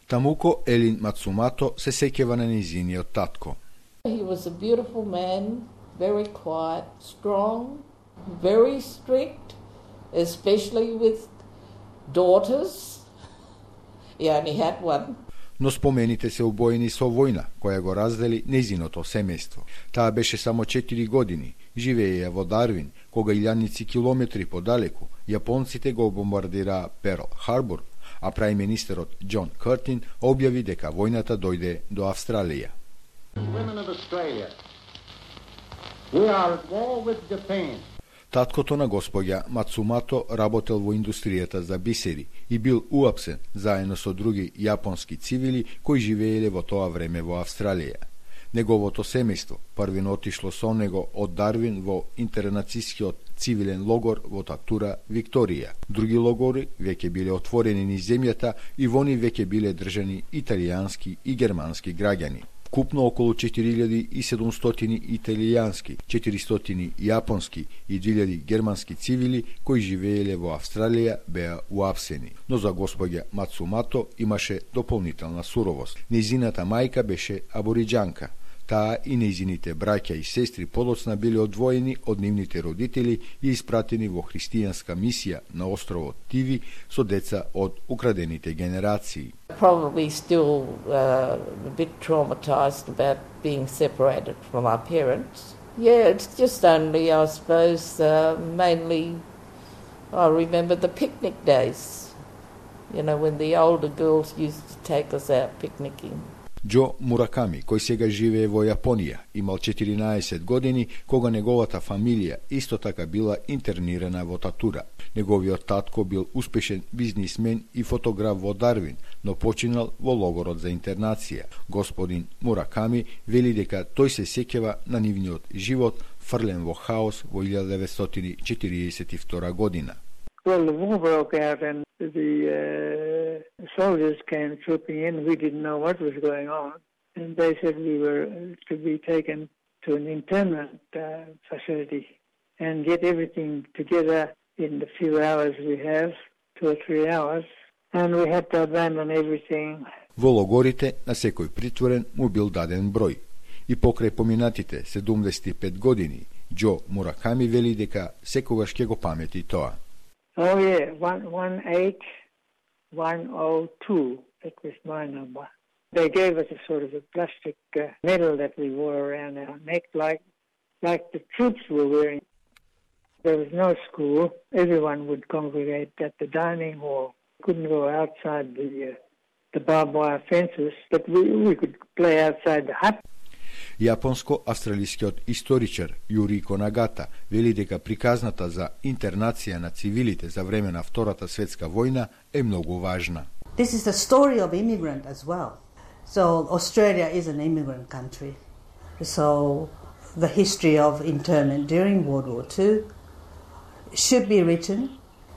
Тамуко Елин Мацумато се сеќава на нејзиниот татко. He was a beautiful man, very quiet, strong, very strict, especially with daughters. He only had one. Но спомените се убоени со војна, која го раздели нејзиното семејство. Таа беше само 4 години, живееја во Дарвин, кога илјадници километри подалеку, јапонците го бомбардираа Перл Харбор, а прајминистерот Џон Картин објави дека војната дојде до Австралија. Таткото на госпоѓа Мацумато работел во индустријата за бисери и бил уапсен заедно со други јапонски цивили кои живееле во тоа време во Австралија. Неговото семејство првино отишло со него од Дарвин во интернацискиот цивилен логор во Татура, Викторија. Други логори веќе биле отворени низ земјата и во нив веќе биле држани италијански и германски граѓани. Купно околу 4700 италијански, 400 јапонски и 2000 германски цивили кои живееле во Австралија беа уапсени. Но за господја Мацумато имаше дополнителна суровост. Нејзината мајка беше абориџанка. Таа и нејзините браќа и сестри подоцна биле одвоени од нивните родители и испратени во христијанска мисија на островот Тиви со деца од украдените генерации. Probably still a bit traumatized about being separated from our parents. Yeah, it's just only, I suppose, mainly I remember the picnic days. You know, when the older girls used to take us out picnicking. Џо Мураками, кој сега живее во Јапонија, имал 14 години кога неговата фамилија исто така била интернирана во Татура. Неговиот татко бил успешен бизнисмен и фотограф во Дарвин, но починал во логорот за интернација. Господин Мураками вели дека тој се сеќава на нивниот живот фрлен во хаос во 1942 година. Well, the war broke out and the soldiers came trooping in. We didn't know what was going on. And they said we were to be taken to an internment facility and get everything together in the few hours we have, 2 or 3 hours. And we had to abandon everything. Во логорите на секој притворен му бил даден број. И покрај поминатите 75 години, Џо Мураками вели дека секогаш ќе го памети тоа. Oh yeah, 18102. That was my number. They gave us a sort of a plastic medal that we wore around our neck, like the troops were wearing. There was no school. Everyone would congregate at the dining hall. Couldn't go outside the barbed wire fences, but we could play outside the hut. Јапонско-австралискиот историчар Јурико Нагата вели дека приказната за интернација на цивилите за време на Втората светска војна е многу важна. This is the story of immigrant as well. So Australia is an immigrant country. So the history of internment during World War II should be written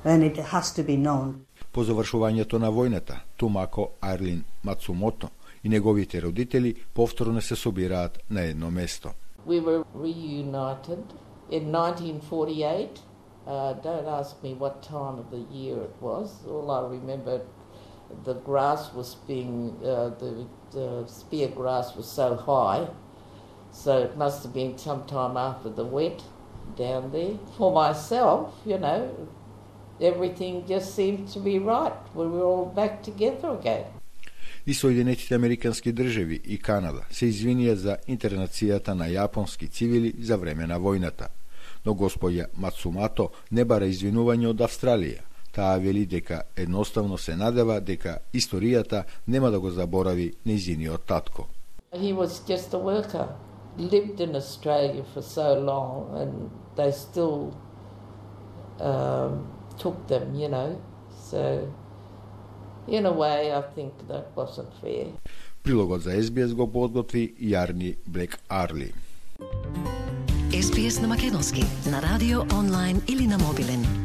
and it has to be known. По завршувањето на војната, тумако Арлин Мацумото и неговите родители повторно се собираат на едно место. We were reunited in 1948. Don't ask me what time of the year it was. All I remember, the grass was being, the spear grass was so high, so it must have been sometime after the wet down there. For myself, you know, everything just seemed to be right. We were all back together again. И Соединетите Американски држави и Канада се извинија за интернацијата на јапонски цивили за време на војната. Но господја Мацумато не бара извинување од Австралија. Таа вели дека едноставно се надева дека историјата нема да го заборави нејзиниот татко. He was just a worker. Lived in Australia for so long and they still took them, you know. So in a way, I think that wasn't fair. Прилогот за СБС го подготви Јарни Блек Арли. СБС на македонски, на радио, онлайн или на мобилен.